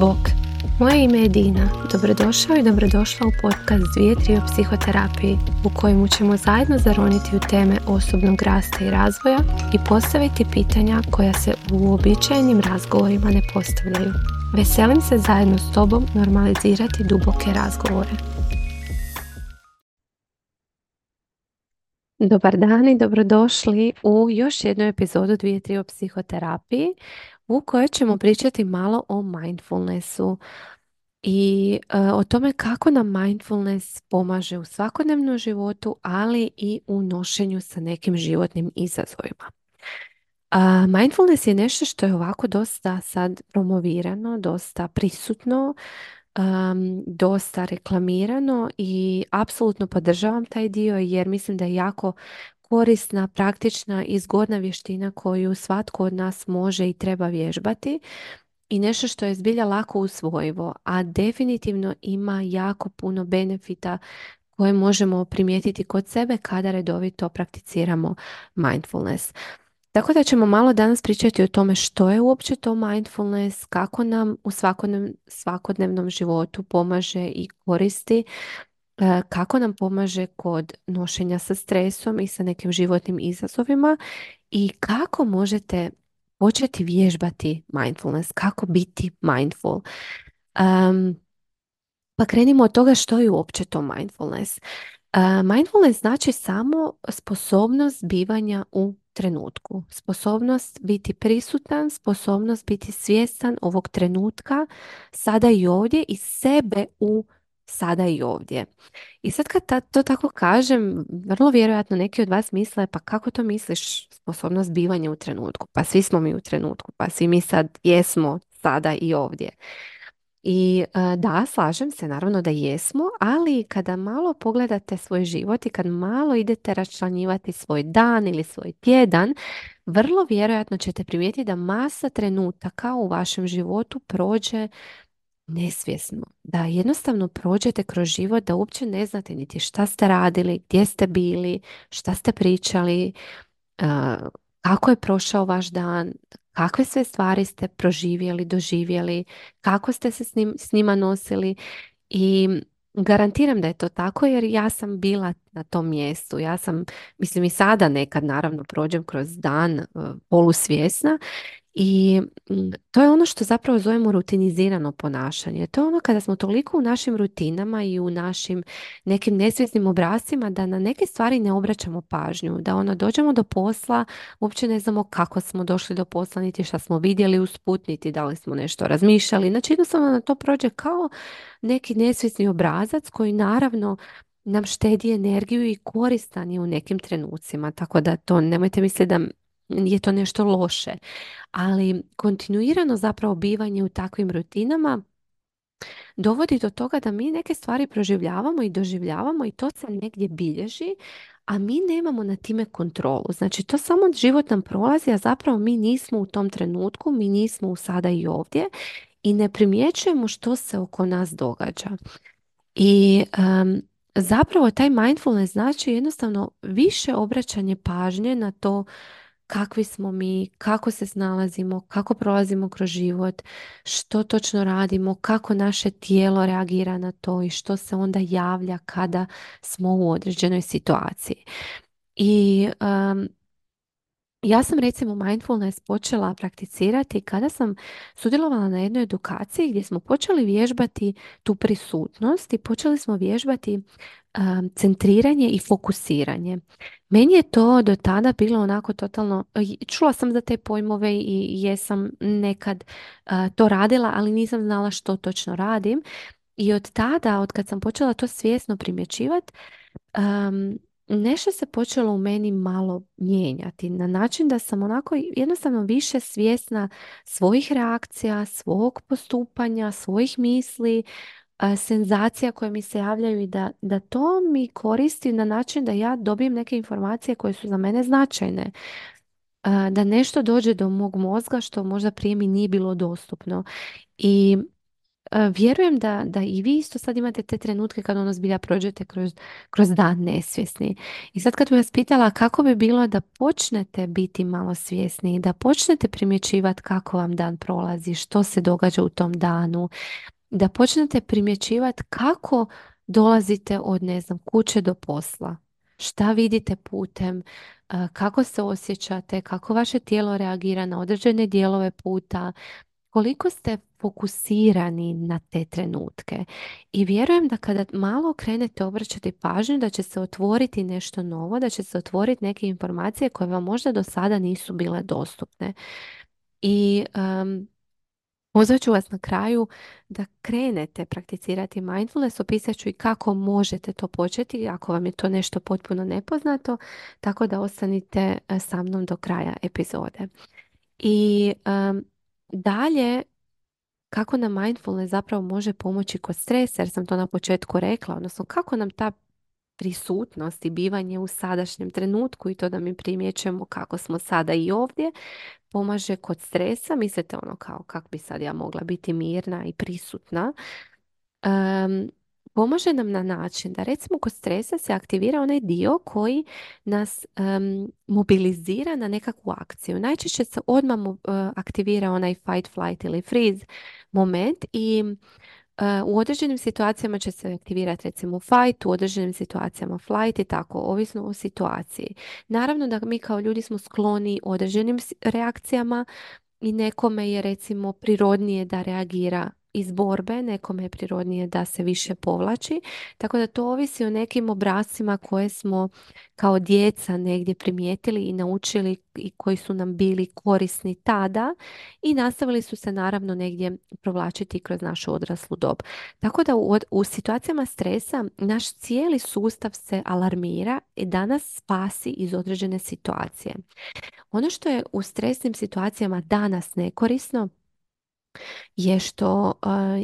Bok, moje ime je Dina. Dobrodošao i dobrodošla u podcast 2-3 o psihoterapiji u kojemu ćemo zajedno zaroniti u teme osobnog rasta i razvoja i postaviti pitanja koja se u uobičajenim razgovorima ne postavljaju. Veselim se zajedno s tobom normalizirati duboke razgovore. Dobar dan i dobrodošli u još jednu epizodu 2-3 o psihoterapiji u kojoj ćemo pričati malo o mindfulnessu i o tome kako nam mindfulness pomaže u svakodnevnom životu, ali i u nošenju sa nekim životnim izazovima. Mindfulness je nešto što je ovako dosta sad promovirano, dosta prisutno, dosta reklamirano i apsolutno podržavam taj dio jer mislim da je jako korisna, praktična i zgodna vještina koju svatko od nas može i treba vježbati i nešto što je zbilja lako usvojivo, a definitivno ima jako puno benefita koje možemo primijetiti kod sebe kada redovito prakticiramo mindfulness. Tako da ćemo malo danas pričati o tome što je uopće to mindfulness, kako nam u svakodnevnom životu pomaže i koristi, kako nam pomaže kod nošenja sa stresom i sa nekim životnim izazovima i kako možete početi vježbati mindfulness, kako biti mindful. Pa krenimo od toga što je uopće to mindfulness. Mindfulness znači samo sposobnost bivanja u trenutku, sposobnost biti prisutan, sposobnost biti svjestan ovog trenutka, sada i ovdje i sebe u sada i ovdje. I sad kad to tako kažem, vrlo vjerojatno neki od vas misle, pa kako to misliš, sposobnost bivanja u trenutku? Pa svi smo mi u trenutku, pa svi mi sad jesmo sada i ovdje. I da, slažem se, naravno da jesmo, ali kada malo pogledate svoj život i kad malo idete raščlanjivati svoj dan ili svoj tjedan, vrlo vjerojatno ćete primijetiti da masa trenutaka u vašem životu prođe nesvjesno. Da jednostavno prođete kroz život da uopće ne znate niti šta ste radili, gdje ste bili, šta ste pričali, kako je prošao vaš dan, kakve sve stvari ste proživjeli, doživjeli, kako ste se s njima nosili i garantiram da je to tako jer ja sam bila na tom mjestu. Ja sam, mislim i sada nekad naravno prođem kroz dan polusvjesna i to je ono što zapravo zovemo rutinizirano ponašanje. To je ono kada smo toliko u našim rutinama i u našim nekim nesvjesnim obrascima da na neke stvari ne obraćamo pažnju. Da ono dođemo do posla, uopće ne znamo kako smo došli do posla, niti šta smo vidjeli usput, niti da li smo nešto razmišljali. Znači jednostavno na to prođe kao neki nesvjesni obrazac koji naravno nam štedi energiju i koristan je u nekim trenucima. Tako da to nemojte misliti da je to nešto loše. Ali kontinuirano zapravo bivanje u takvim rutinama dovodi do toga da mi neke stvari proživljavamo i doživljavamo i to se negdje bilježi, a mi nemamo na time kontrolu. Znači to samo život nam prolazi, a zapravo mi nismo u tom trenutku, mi nismo u sada i ovdje i ne primjećujemo što se oko nas događa. I zapravo taj mindfulness znači jednostavno više obraćanje pažnje na to kakvi smo mi, kako se snalazimo, kako prolazimo kroz život, što točno radimo, kako naše tijelo reagira na to i što se onda javlja kada smo u određenoj situaciji. I ja sam recimo mindfulness počela prakticirati kada sam sudjelovala na jednoj edukaciji gdje smo počeli vježbati tu prisutnost i počeli smo vježbati centriranje i fokusiranje. Meni je to do tada bilo onako totalno, čula sam za te pojmove i jesam nekad to radila, ali nisam znala što točno radim. I od tada, od kad sam počela to svjesno primjećivati, nešto se počelo u meni malo mijenjati na način da sam onako jednostavno više svjesna svojih reakcija, svog postupanja, svojih misli, senzacija koje mi se javljaju i da to mi koristi na način da ja dobijem neke informacije koje su za mene značajne. Da nešto dođe do mog mozga što možda prije mi nije bilo dostupno. I vjerujem da i vi isto sad imate te trenutke kad ono zbilja prođete kroz dan nesvjesni. I sad kad bi vas pitala kako bi bilo da počnete biti malo svjesni, da počnete primjećivati kako vam dan prolazi, što se događa u tom danu, da počnete primjećivati kako dolazite od, ne znam, kuće do posla. Šta vidite putem, kako se osjećate, kako vaše tijelo reagira na određene dijelove puta, koliko ste fokusirani na te trenutke. I vjerujem da kada malo krenete obraćati pažnju, da će se otvoriti nešto novo, da će se otvoriti neke informacije koje vam možda do sada nisu bile dostupne. I pozvat ću vas na kraju da krenete prakticirati mindfulness, opisat ću i kako možete to početi ako vam je to nešto potpuno nepoznato, tako da ostanite sa mnom do kraja epizode. I dalje, kako nam mindfulness zapravo može pomoći kod stresa, jer sam to na početku rekla, odnosno kako nam ta prisutnost i bivanje u sadašnjem trenutku i to da mi primjećujemo kako smo sada i ovdje, pomaže kod stresa. Mislite ono kao kako bi sad ja mogla biti mirna i prisutna. Em, Pomaže nam na način da recimo kod stresa se aktivira onaj dio koji nas mobilizira na nekakvu akciju. Najčešće se odmah aktivira onaj fight, flight ili freeze moment i u određenim situacijama će se aktivirati recimo fight, u određenim situacijama flight i tako, ovisno o situaciji. Naravno da mi kao ljudi smo skloni određenim reakcijama i nekome je recimo prirodnije da reagira iz borbe, nekome je prirodnije da se više povlači. Tako da to ovisi o nekim obrascima koje smo kao djeca negdje primijetili i naučili i koji su nam bili korisni tada i nastavili su se naravno negdje provlačiti kroz našu odraslu dob. Tako da u situacijama stresa naš cijeli sustav se alarmira i da nas spasi iz određene situacije. Ono što je u stresnim situacijama danas nekorisno je što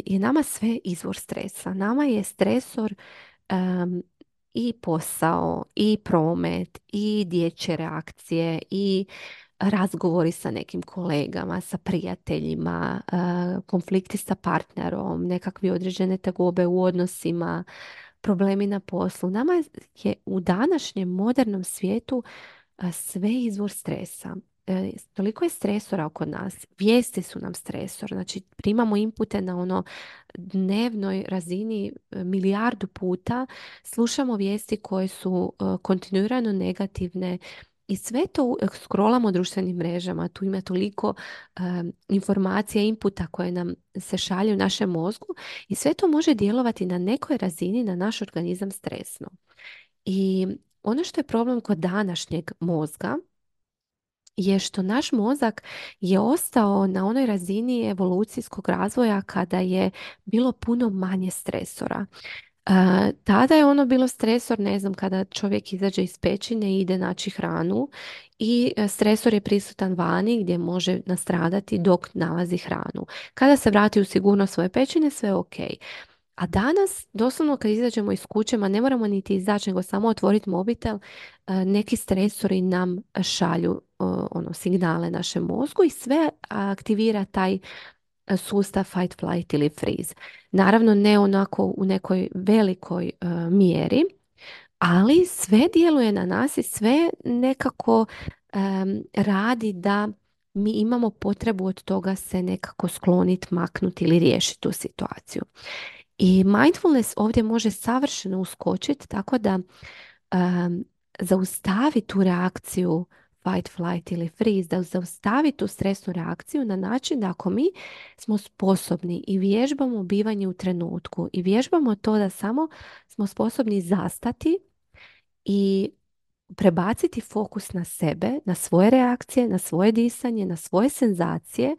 je nama sve izvor stresa. Nama je stresor i posao, i promet, i dječje reakcije, i razgovori sa nekim kolegama, sa prijateljima, konflikti sa partnerom, nekakvi određene tegobe u odnosima, problemi na poslu. Nama je u današnjem modernom svijetu sve izvor stresa. Toliko je stresora oko nas. Vijesti su nam stresor. Znači, primamo inpute na ono dnevnoj razini milijardu puta. Slušamo vijesti koje su kontinuirano negativne i sve to scrollamo društvenim mrežama. Tu ima toliko informacija, inputa koje nam se šalju u našem mozgu i sve to može djelovati na nekoj razini na naš organizam stresno. I ono što je problem kod današnjeg mozga je što naš mozak je ostao na onoj razini evolucijskog razvoja kada je bilo puno manje stresora. Tada je ono bilo stresor, ne znam, kada čovjek izađe iz pećine i ide naći hranu i stresor je prisutan vani gdje može nastradati dok nalazi hranu. Kada se vrati u sigurnost svoje pećine, sve je ok. A danas, doslovno kad izađemo iz kuće, ma ne moramo niti izaći, nego samo otvoriti mobitel, neki stresori nam šalju ono, signale našem mozgu i sve aktivira taj sustav fight, flight ili freeze. Naravno, ne onako u nekoj velikoj mjeri, ali sve djeluje na nas i sve nekako radi da mi imamo potrebu od toga se nekako skloniti, maknuti ili riješiti tu situaciju. I mindfulness ovdje može savršeno uskočiti tako da zaustavi tu reakciju fight, flight ili freeze, da zaustavi tu stresnu reakciju na način da ako mi smo sposobni i vježbamo bivanje u trenutku i vježbamo to da samo smo sposobni zastati i prebaciti fokus na sebe, na svoje reakcije, na svoje disanje, na svoje senzacije,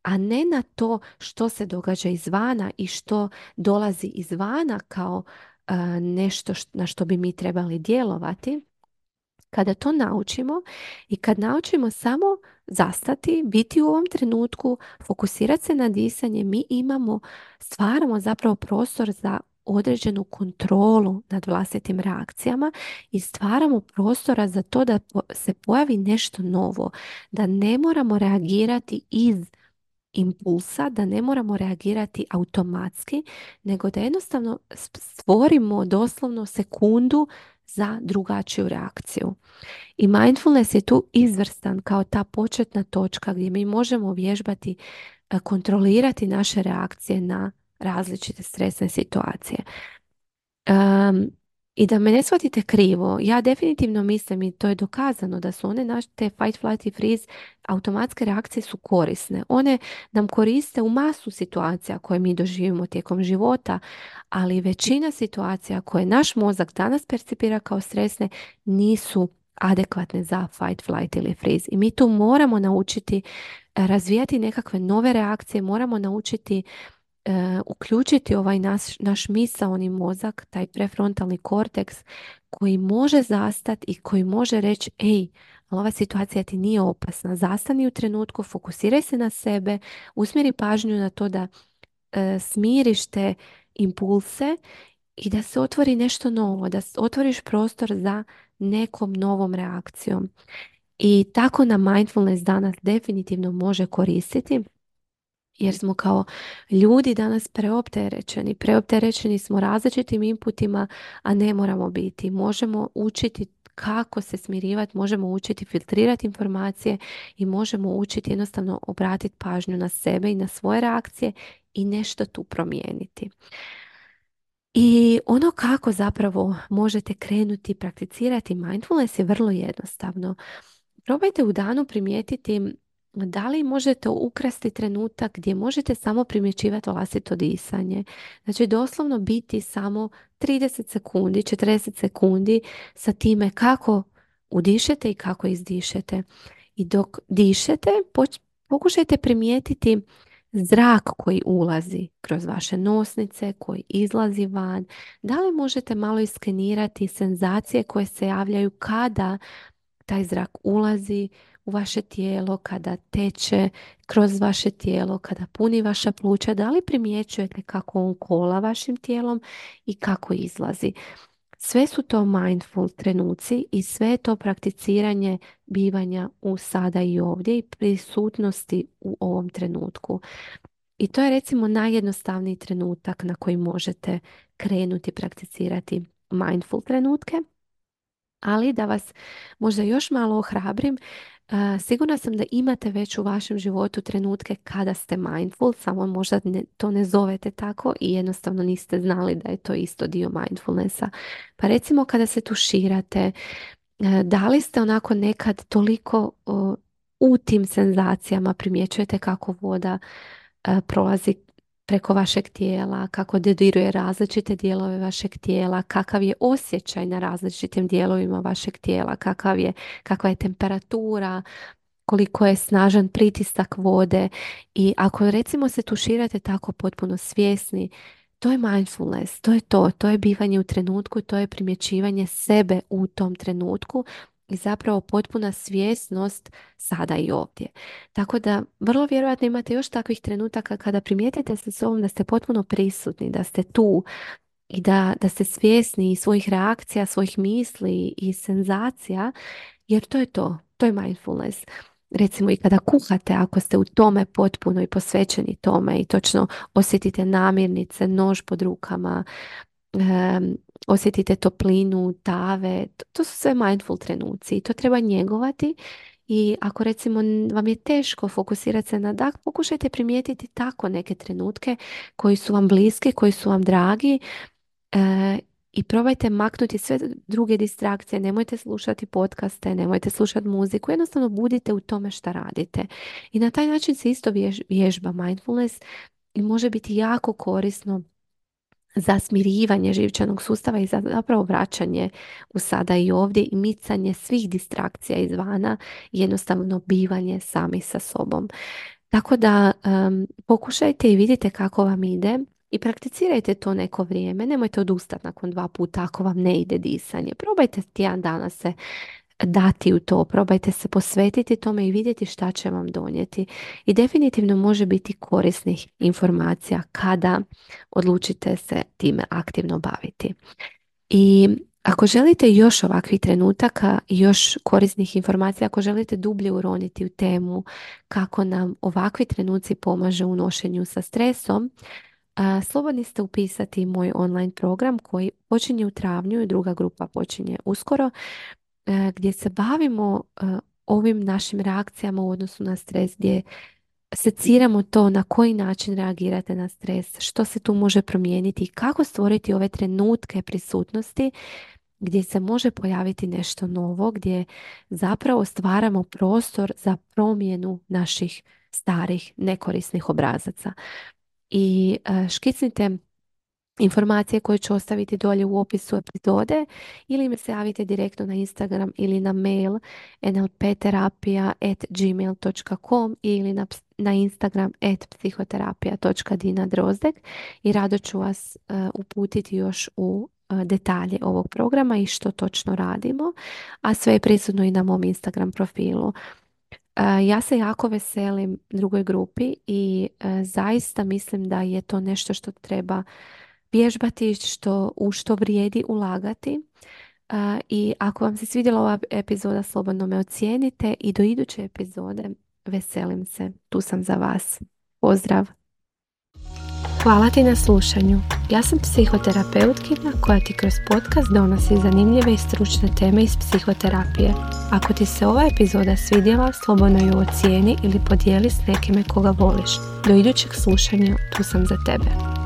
a ne na to što se događa izvana i što dolazi izvana kao nešto na što bi mi trebali djelovati. Kada to naučimo i kad naučimo samo zastati, biti u ovom trenutku, fokusirati se na disanje, mi stvaramo zapravo prostor za određenu kontrolu nad vlastitim reakcijama i stvaramo prostora za to da se pojavi nešto novo, da ne moramo reagirati iz impulsa, da ne moramo reagirati automatski, nego da jednostavno stvorimo doslovno sekundu za drugačiju reakciju. I mindfulness je tu izvrstan kao ta početna točka gdje mi možemo vježbati, kontrolirati naše reakcije na različite stresne situacije. Um, I da me ne shvatite krivo, ja definitivno mislim i to je dokazano da su one naše te fight, flight i freeze automatske reakcije su korisne. One nam koriste u masu situacija koje mi doživimo tijekom života, ali većina situacija koje naš mozak danas percipira kao stresne nisu adekvatne za fight, flight ili freeze. I mi tu moramo naučiti razvijati nekakve nove reakcije, moramo naučiti uključiti ovaj naš misaoni mozak, taj prefrontalni korteks koji može zastati i koji može reći, ej, ali ova situacija ti nije opasna. Zastani u trenutku, fokusiraj se na sebe, usmjeri pažnju na to da smiriš te impulse i da se otvori nešto novo, da otvoriš prostor za nekom novom reakcijom. I tako nam mindfulness danas definitivno može koristiti, jer smo kao ljudi danas preopterećeni. Preopterećeni smo različitim inputima, a ne moramo biti. Možemo učiti kako se smirivati, možemo učiti filtrirati informacije i možemo učiti jednostavno obratiti pažnju na sebe i na svoje reakcije i nešto tu promijeniti. I ono kako zapravo možete krenuti prakticirati mindfulness je vrlo jednostavno. Probajte u danu primijetiti da li možete ukrasti trenutak gdje možete samo primjećivati vlastito disanje. Znači doslovno biti samo 30 sekundi, 40 sekundi sa time kako udišete i kako izdišete. I dok dišete, pokušajte primijetiti zrak koji ulazi kroz vaše nosnice, koji izlazi van. Da li možete malo iskenirati senzacije koje se javljaju kada taj zrak ulazi u vaše tijelo, kada teče kroz vaše tijelo, kada puni vaša pluća, da li primjećujete kako on kola vašim tijelom i kako izlazi. Sve su to mindful trenuci i sve je to prakticiranje bivanja u sada i ovdje i prisutnosti u ovom trenutku. I to je recimo najjednostavniji trenutak na koji možete krenuti prakticirati mindful trenutke. Ali da vas možda još malo ohrabrim, sigurna sam da imate već u vašem životu trenutke kada ste mindful, samo možda to ne zovete tako i jednostavno niste znali da je to isto dio mindfulnessa. Pa recimo kada se tuširate, da li ste onako nekad toliko u tim senzacijama, primjećujete kako voda prolazi preko vašeg tijela, kako dodiruje različite dijelove vašeg tijela, kakav je osjećaj na različitim dijelovima vašeg tijela, kakva je temperatura, koliko je snažan pritisak vode. I ako recimo se tuširate tako potpuno svjesni, to je mindfulness, to je bivanje u trenutku, to je primjećivanje sebe u tom trenutku i zapravo potpuna svjesnost sada i ovdje. Tako da vrlo vjerojatno imate još takvih trenutaka kada primijetite sa sobom da ste potpuno prisutni, da ste tu i da ste svjesni svojih reakcija, svojih misli i senzacija, jer to je mindfulness. Recimo i kada kuhate, ako ste u tome potpuno i posvećeni tome i točno osjetite namirnice, nož pod rukama, osjetite toplinu, tave, to su sve mindful trenuci i to treba njegovati. I ako recimo vam je teško fokusirati se na dah, pokušajte primijetiti tako neke trenutke koji su vam bliski, koji su vam dragi, i probajte maknuti sve druge distrakcije. Nemojte slušati podcaste, nemojte slušati muziku, jednostavno budite u tome šta radite. I na taj način se isto vježba mindfulness i može biti jako korisno za smirivanje živčanog sustava i za zapravo vraćanje u sada i ovdje i micanje svih distrakcija izvana i jednostavno bivanje sami sa sobom. Tako da pokušajte i vidite kako vam ide i prakticirajte to neko vrijeme. Nemojte odustati nakon 2 puta ako vam ne ide disanje. Probajte tjedan dana se dati u to, probajte se posvetiti tome i vidjeti šta će vam donijeti. I definitivno može biti korisnih informacija kada odlučite se time aktivno baviti. I Ako želite još ovakvih trenutaka i još korisnih informacija, ako želite dublje uroniti u temu kako nam ovakvi trenuci pomaže u nošenju sa stresom, slobodni ste upisati moj online program koji počinje u travnju i druga grupa počinje uskoro, gdje se bavimo ovim našim reakcijama u odnosu na stres, gdje seciramo to na koji način reagirate na stres, što se tu može promijeniti i kako stvoriti ove trenutke prisutnosti gdje se može pojaviti nešto novo, gdje zapravo stvaramo prostor za promjenu naših starih nekorisnih obrazaca. I škicnite informacije koje ću ostaviti dolje u opisu epizode ili me se javite direktno na Instagram ili na mail nlpterapija@gmail.com ili na Instagram @psihoterapija.dina_drozdek i rado ću vas uputiti još u detalje ovog programa i što točno radimo, a sve je prisutno i na mom Instagram profilu. Ja se jako veselim drugoj grupi i zaista mislim da je to nešto što treba vježbati, u što vrijedi ulagati. I ako vam se svidjela ova epizoda, slobodno me ocijenite i do iduće epizode veselim se. Tu sam za vas. Pozdrav! Hvala ti na slušanju. Ja sam psihoterapeutkinja koja ti kroz podcast donosi zanimljive i stručne teme iz psihoterapije. Ako ti se ova epizoda svidjela, slobodno ju ocijeni ili podijeli s nekime koga voliš. Do idućeg slušanja, tu sam za tebe.